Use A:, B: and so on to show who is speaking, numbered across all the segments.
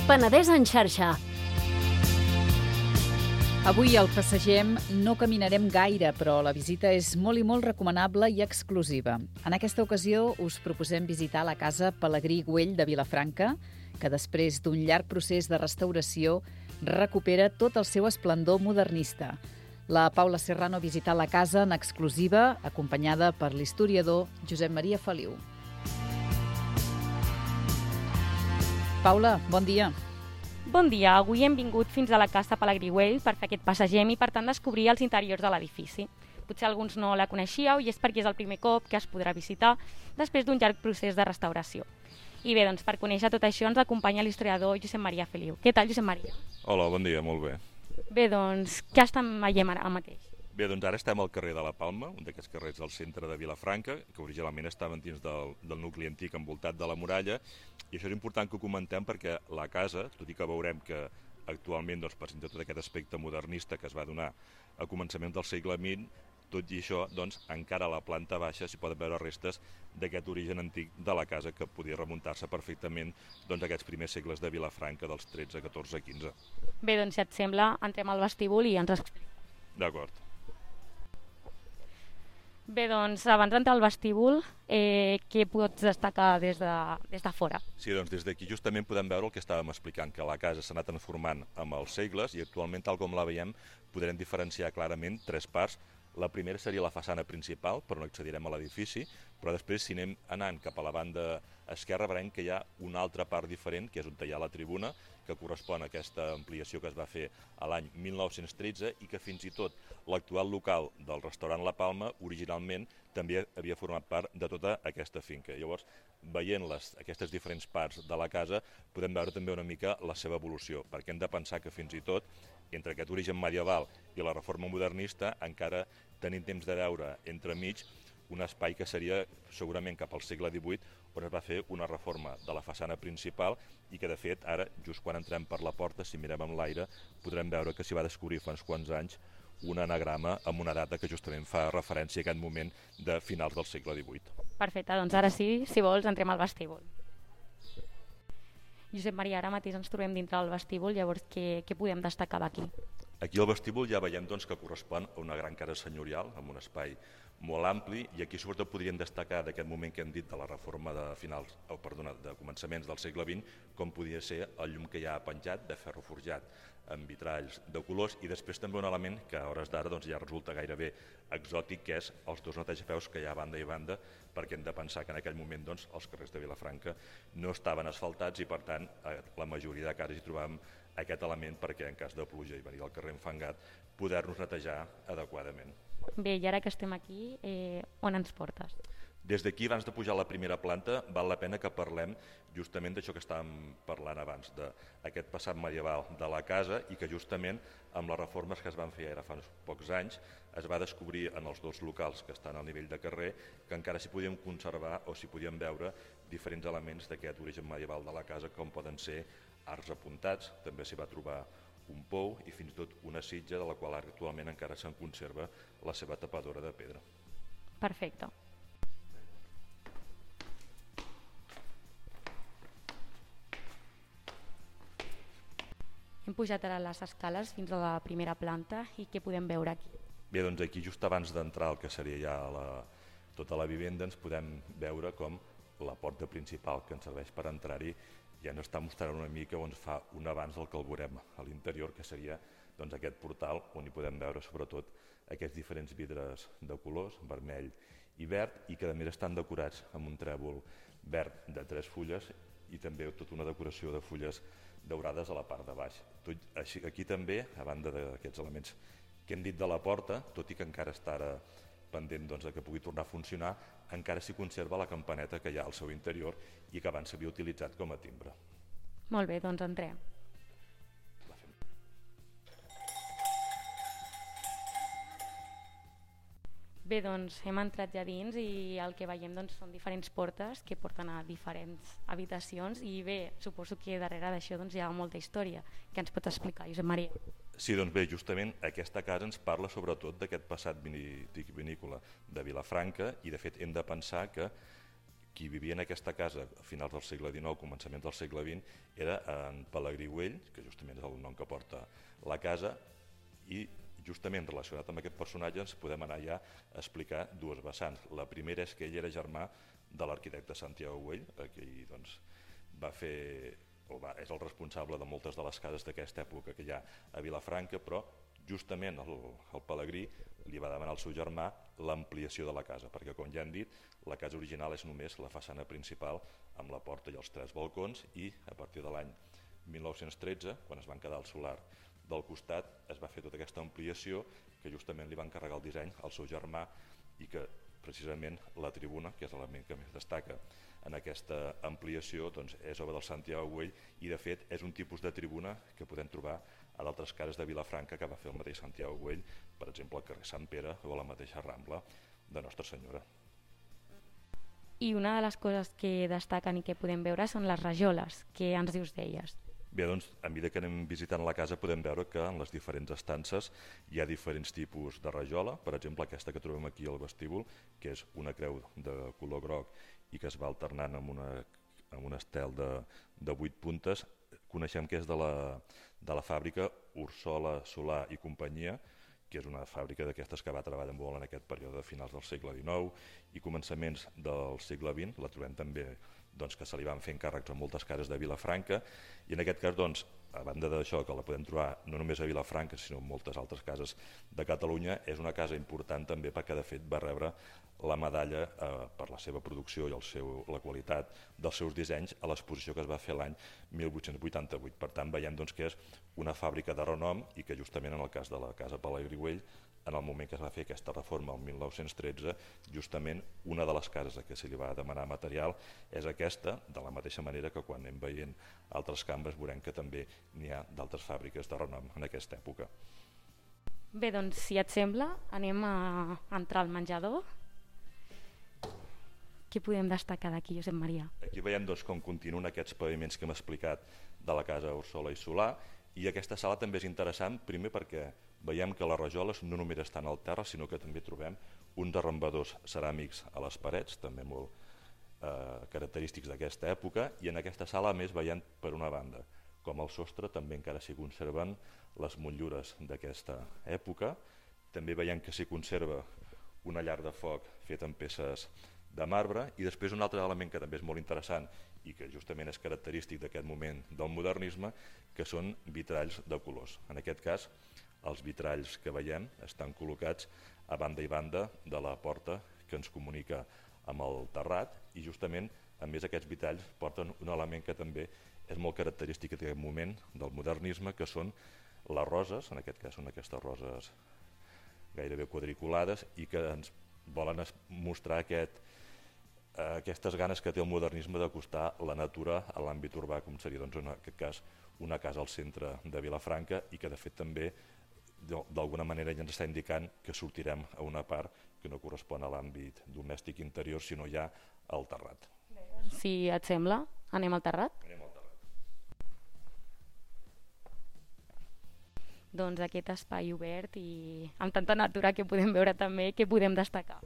A: Penedès en xarxa.
B: Avui al Passegem no caminarem gaire, però la visita és molt i molt recomanable i exclusiva. En aquesta ocasió us proposem visitar la casa Pelegrí Güell de Vilafranca, que després d'un llarg procés de restauració recupera tot el seu esplendor modernista. La Paula Serrano ha visitat la casa en exclusiva, acompanyada per l'historiador Josep Maria Feliu. Paula, bon dia.
C: Bon dia, avui hem vingut fins a la casa Pelegrí Güell per fer aquest passegem i per tant descobrir els interiors de l'edifici. Potser alguns no la coneixíeu i és perquè és el primer cop que es podrà visitar després d'un llarg procés de restauració. I bé, doncs per conèixer tot això ens acompanya l'historiador Josep Maria Feliu. Què tal, Josep Maria?
D: Hola, bon dia, molt bé.
C: Bé, doncs, què estem veient ara mateix?
D: Bé, doncs ara estem al carrer de la Palma, un d'aquests carrers del centre de Vilafranca, que originalment estaven dins del nucli antic envoltat de la muralla, i això és important que ho comentem perquè la casa, tot i que veurem que actualment presenta tot aquest aspecte modernista que es va donar a començaments del segle XX, tot i això, encara a la planta baixa s'hi poden veure restes d'aquest origen antic de la casa que podia remuntar-se perfectament a aquests primers segles de Vilafranca, dels 13, 14, 15.
C: Bé, doncs, si et sembla, entrem al vestíbul i ens expliquem.
D: D'acord.
C: Bé, doncs, abans d'entrar al vestíbul, què pots destacar des de fora?
D: Sí, doncs des d'aquí justament podem veure el que estàvem explicant, que la casa s'ha anat transformant amb els segles i actualment, tal com la veiem, podrem diferenciar clarament tres parts. La primera seria la façana principal, per on accedirem a l'edifici, però després, si anem anant cap a la banda esquerra, veurem que hi ha una altra part diferent, que és on hi ha la tribuna, que correspon a aquesta ampliació que es va fer a l'any 1913 i que fins i tot l'actual local del restaurant La Palma originalment també havia format part de tota aquesta finca. Llavors, veient aquestes diferents parts de la casa, podem veure també una mica la seva evolució, perquè hem de pensar que fins i tot entre aquest origen medieval i la reforma modernista encara tenim temps de veure entremig un espai que seria segurament cap al segle XVIII, on es va fer una reforma de la façana principal i que de fet ara, just quan entrem per la porta, si mirem amb l'aire, podrem veure que s'hi va descobrir fa uns quants anys un anagrama amb una data que justament fa referència a aquest moment de finals del segle XVIII.
C: Perfecte, doncs ara sí, si vols, entrem al vestíbul. Josep Maria, ara mateix ens trobem dintre del vestíbul, llavors què podem destacar d'aquí?
D: Aquí al vestíbul ja veiem que correspon a una gran casa senyorial, amb un espai molt ampli, i aquí sobretot podríem destacar d'aquest moment que hem dit de la reforma de començaments del segle XX, com podia ser el llum que hi ha penjat de ferro forjat amb vitralls de colors, i després també un element que a hores d'ara ja resulta gairebé exòtic, que és els dos netejapeus que hi ha a banda i banda, perquè hem de pensar que en aquell moment els carrers de Vilafranca no estaven asfaltats i per tant la majoria de cases hi trobàvem aquest element perquè en cas de pluja i venir del carrer enfangat poder-nos netejar adequadament.
C: Bé, i ara que estem aquí, on ens portes?
D: Des d'aquí, abans de pujar a la primera planta, val la pena que parlem justament d'això que estàvem parlant abans, d'aquest passat medieval de la casa i que justament amb les reformes que es van fer ara fa uns pocs anys es va descobrir en els dos locals que estan al nivell de carrer que encara s'hi podien conservar o s'hi podien veure diferents elements d'aquest origen medieval de la casa, com poden ser arcs apuntats, també s'hi va trobar un pou i fins i tot una sitja de la qual actualment encara se'n conserva la seva tapadora de pedra.
C: Perfecte. Hem pujat ara les escales fins a la primera planta i què podem veure aquí?
D: Bé, doncs aquí just abans d'entrar al que seria ja tota la vivenda ens podem veure com la porta principal que ens serveix per entrar-hi ja ens està mostrant una mica on fa un abans del que el veurem a l'interior, que seria aquest portal on hi podem veure sobretot aquests diferents vidres de colors, vermell i verd, i que a més estan decorats amb un trèvol verd de 3 fulles i també tota una decoració de fulles daurades a la part de baix. Aquí també, a banda d'aquests elements que hem dit de la porta, tot i que encara està ara pendent que pugui tornar a funcionar, encara s'hi conserva la campaneta que hi ha al seu interior i que abans s'havia utilitzat com a timbre.
C: Molt bé, doncs entrem. Bé, doncs hem entrat ja dins i el que veiem són diferents portes que porten a diferents habitacions i bé, suposo que darrere d'això hi ha molta història. Què ens pot explicar, Josep Maria?
D: Sí, doncs bé, justament aquesta casa ens parla sobretot d'aquest passat vinícola de Vilafranca i de fet hem de pensar que Qui vivia en aquesta casa a finals del segle XIX, començaments del segle XX, era en Pelegrí Güell, que justament és el nom que porta la casa, i justament relacionat amb aquest personatge ens podem anar ja a explicar dues vessants. La primera és que ell era germà de l'arquitecte Santiago Güell, que doncs, és el responsable de moltes de les cases d'aquesta època que hi ha a Vilafranca, però justament el Pelegrí li va demanar al seu germà l'ampliació de la casa, perquè com ja hem dit, la casa original és només la façana principal amb la porta i els 3 balcons, i a partir de l'any 1913, quan es van quedar al solar del costat, es va fer tota aquesta ampliació que justament li va encarregar el disseny al seu germà, i que precisament la tribuna, que és l'element que més destaca en aquesta ampliació, doncs és obra del Santiago Güell, i de fet és un tipus de tribuna que podem trobar a d'altres cases de Vilafranca que va fer el mateix Santiago Güell, per exemple al carrer Sant Pere o a la mateixa Rambla de Nostra Senyora.
C: I una de les coses que destaquen i que podem veure són les rajoles. Què ens dius d'elles?
D: Bé, doncs, a mesura que anem visitant la casa podem veure que en les diferents estances hi ha diferents tipus de rajola. Per exemple, aquesta que trobem aquí al vestíbul, que és una creu de color groc i que es va alternant amb un estel de 8 puntes. Coneixem que és de la fàbrica Ursola Solà i companyia, que és una fàbrica d'aquestes que va treballar molt en aquest període de finals del segle XIX i començaments del segle XX. La trobem també doncs, que se li van fer encàrrecs a moltes cases de Vilafranca, i en aquest cas, doncs, a banda d'això, que la podem trobar no només a Vilafranca sinó en moltes altres cases de Catalunya, és una casa important també perquè de fet va rebre la medalla per la seva producció i la qualitat dels seus dissenys a l'exposició que es va fer l'any 1888. Per tant, veiem doncs, que és una fàbrica de renom, i que justament en el cas de la casa Pelegrí Güell, en el moment que es va fer aquesta reforma el 1913, justament una de les cases a què se li va demanar material és aquesta, de la mateixa manera que quan anem veient altres cambres veurem que també n'hi ha d'altres fàbriques de renom en aquesta època.
C: Bé, doncs, si et sembla, anem a entrar al menjador. Què podem destacar d'aquí, Josep Maria?
D: Aquí veiem doncs, com continuen aquests paviments que hem explicat de la casa Ursola i Solà, i aquesta sala també és interessant, primer perquè veiem que les rajoles no només estan al terra, sinó que també trobem uns arrambadors ceràmics a les parets, també molt característics d'aquesta època, i en aquesta sala a més veiem per una banda com al sostre també encara s'hi conserven les motllures d'aquesta època. També veiem que s'hi conserva una llar de foc feta amb peces de marbre, i després un altre element que també és molt interessant i que justament és característic d'aquest moment del modernisme, que són vitralls de colors. En aquest cas, els vitralls que veiem estan col·locats a banda i banda de la porta que ens comunica amb el terrat, i justament, a més, aquests vitralls porten un element que també és molt característic d'aquest moment del modernisme, que són les roses, en aquest cas són aquestes roses gairebé quadriculades, i que ens volen mostrar aquestes ganes que té el modernisme d'acostar la natura a l'àmbit urbà, com seria doncs, en aquest cas una casa al centre de Vilafranca, i que de fet també d'alguna manera ja ens està indicant que sortirem a una part que no correspon a l'àmbit domèstic interior, sinó ja al terrat.
C: Si et sembla, anem al terrat?
D: Anem al terrat.
C: Doncs aquest espai obert i amb tanta natura que podem veure també, què podem destacar?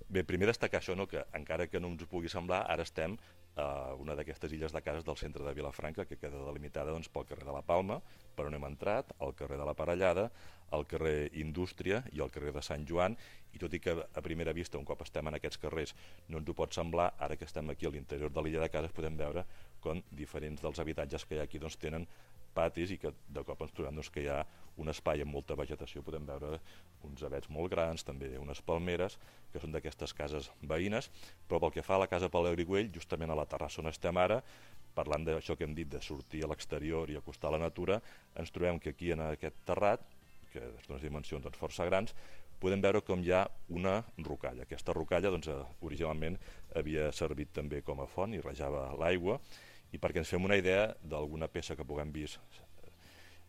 D: Bé, primer destacar això, que encara que no ens ho pugui semblar, ara estem a una d'aquestes illes de cases del centre de Vilafranca, que queda delimitada pel carrer de la Palma, per on hem entrat, el carrer de la Parellada, el carrer Indústria i el carrer de Sant Joan, i tot i que a primera vista, un cop estem en aquests carrers, no ens ho pot semblar, ara que estem aquí a l'interior de l'illa de cases podem veure com diferents dels habitatges que hi ha aquí tenen patis, i que de cop ens trobem que hi ha un espai amb molta vegetació. Podem veure uns avets molt grans, també unes palmeres, que són d'aquestes cases veïnes, però pel que fa a la casa Pelegrí Güell, justament a la terrassa on estem ara, parlant d'això que hem dit de sortir a l'exterior i acostar la natura, ens trobem que aquí en aquest terrat, que és d'unes dimensions força grans, podem veure com hi ha una rocalla. Aquesta rocalla originalment havia servit també com a font i rejava l'aigua, i perquè ens fem una idea d'alguna peça que puguem vist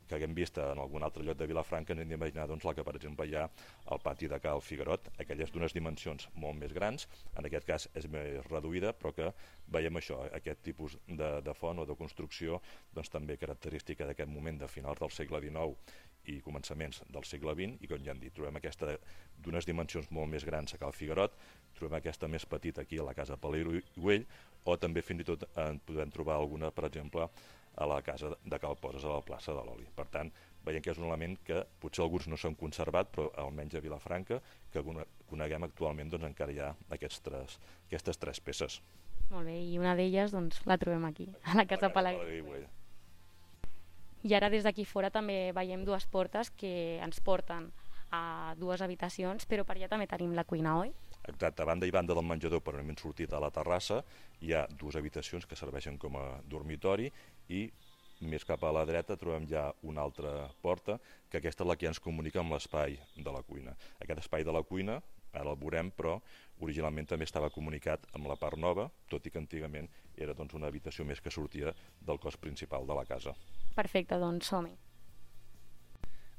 D: que haguem vist en algun altre lloc de Vilafranca, ens hem d'imaginar doncs, la que, per exemple, hi ha al pati de Cal Figuerot, aquelles d'unes dimensions molt més grans, en aquest cas és més reduïda, però que veiem això, aquest tipus de font o de construcció, doncs, també característica d'aquest moment de finals del segle XIX i començaments del segle XX, i com ja hem dit, trobem aquesta d'unes dimensions molt més grans a Cal Figuerot, trobem aquesta més petita aquí a la casa Palegrí Güell, o també fins i tot en podem trobar alguna, per exemple, a la casa de Cal Poses, a la plaça de l'Oli. Per tant, veiem que és un element que potser alguns no s'han conservat, però almenys a Vilafranca, que coneguem actualment, doncs encara hi ha aquestes tres peces.
C: Molt bé, i una d'elles doncs, la trobem aquí, a la casa Palegrí Güell. I ara des d'aquí fora també veiem dues portes que ens porten a dues habitacions, però per allà també tenim la cuina, oi?
D: Exacte, a banda i banda del menjador, per on hem sortit a la terrassa, hi ha dues habitacions que serveixen com a dormitori i més cap a la dreta trobem ja una altra porta, que aquesta és la que ens comunica amb l'espai de la cuina. Aquest espai de la cuina, ara el veurem, però originalment també estava comunicat amb la part nova, tot i que antigament era doncs, una habitació més que sortia del cos principal de la casa.
C: Perfecte, doncs som-hi.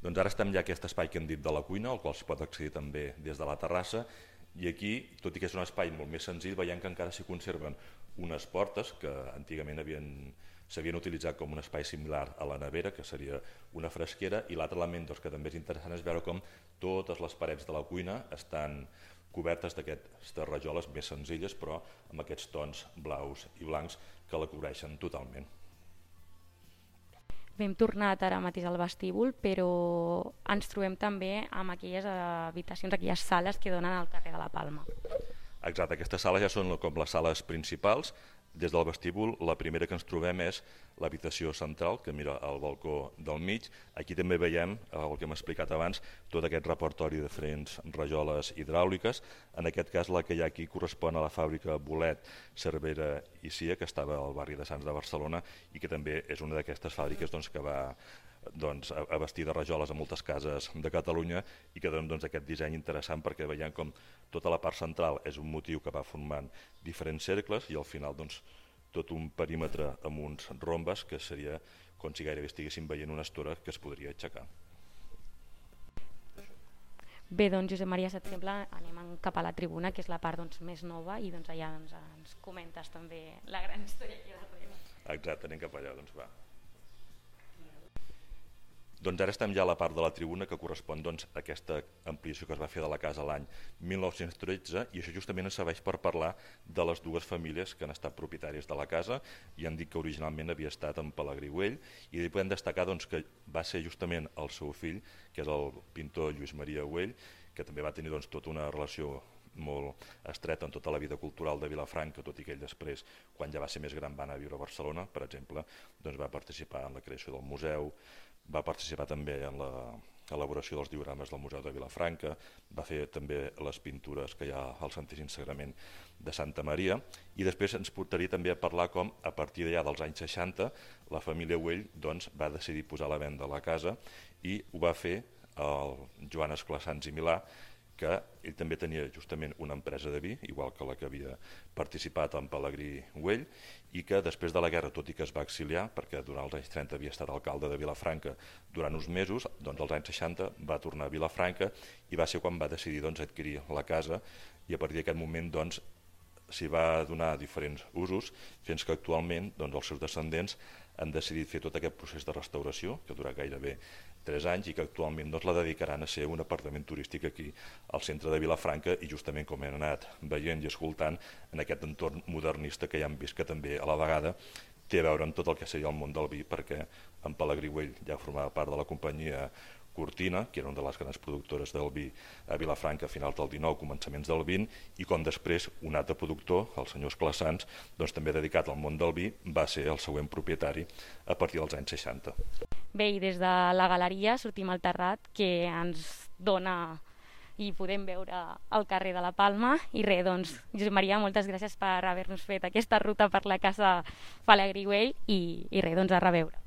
D: Doncs ara estem ja a aquest espai que hem dit de la cuina, al qual es pot accedir també des de la terrassa, i aquí, tot i que és un espai molt més senzill, veiem que encara s'hi conserven unes portes que antigament s'havien utilitzat com un espai similar a la nevera, que seria una fresquera, i l'altre element doncs, que també és interessant és veure com totes les parets de la cuina estan cobertes d'aquestes rajoles més senzilles, però amb aquests tons blaus i blancs que la cobreixen totalment.
C: Hem tornat ara mateix al vestíbul, però ens trobem també amb aquelles habitacions, aquelles sales que donen al carrer de la Palma.
D: Exacte, aquestes sales ja són com les sales principals. Des del vestíbul, la primera que ens trobem és l'habitació central, que mira al balcó del mig. Aquí també veiem, el que hem explicat abans, tot aquest repertori de diferents rajoles hidràuliques. En aquest cas, la que hi ha aquí correspon a la fàbrica Bolet, Cervera i Cia, que estava al barri de Sants de Barcelona i que també és una d'aquestes fàbriques doncs, que va a vestir de rajoles a moltes cases de Catalunya i que dona aquest disseny interessant perquè veiem com tota la part central és un motiu que va formant diferents cercles i al final tot un perímetre amb uns rombes que seria com si gairebé estiguéssim veient una estora que es podria aixecar.
C: Bé, doncs Josep Maria, si et sembla, anem cap a la tribuna, que és la part més nova, i allà ens comentes també la gran història que hi ha darrere.
D: Exacte, anem cap allà, doncs va. Doncs ara estem ja a la part de la tribuna que correspon a aquesta ampliació que es va fer de la casa l'any 1913 i això justament ens serveix per parlar de les dues famílies que han estat propietàries de la casa i han dit que originalment havia estat en Palegrí Güell i podem destacar que va ser justament el seu fill, que és el pintor Lluís Maria Güell, que també va tenir tota una relació molt estreta en tota la vida cultural de Vilafranca, tot i que ell després, quan ja va ser més gran, va anar a viure a Barcelona, per exemple, va participar en la creació del museu, va participar també en l'elaboració dels diorames del Museu de Vilafranca, va fer també les pintures que hi ha al Santíssim Sagrament de Santa Maria i després ens portaria també a parlar com a partir d'allà dels anys 60 la família Güell va decidir posar a la venda la casa i ho va fer el Joan Esclassans i Milà, que ell també tenia justament una empresa de vi, igual que la que havia participat en Palegrí Güell, i que després de la guerra, tot i que es va exiliar, perquè durant els anys 30 havia estat alcalde de Vilafranca durant uns mesos, doncs als anys 60 va tornar a Vilafranca i va ser quan va decidir adquirir la casa i a partir d'aquest moment s'hi va donar diferents usos fins que actualment els seus descendents han decidit fer tot aquest procés de restauració, que durà gairebé 3 anys i que actualment la dedicaran a ser un apartament turístic aquí al centre de Vilafranca i justament com hem anat veient i escoltant en aquest entorn modernista que ja hem vist que també a la vegada té a veure amb tot el que seria el món del vi perquè en Palegrí Güell ja formava part de la companyia Cortina, que era una de les grans productores del vi a Vilafranca a finals del 19, començaments del 20, i com després un altre productor, el senyor Esclassans, també dedicat al món del vi, va ser el següent propietari a partir dels anys 60.
C: Bé, i des de la galeria sortim al terrat que ens dona i podem veure el carrer de la Palma i res, doncs, Josep Maria, moltes gràcies per haver-nos fet aquesta ruta per la casa Palegrí Güell i res, doncs a reveure.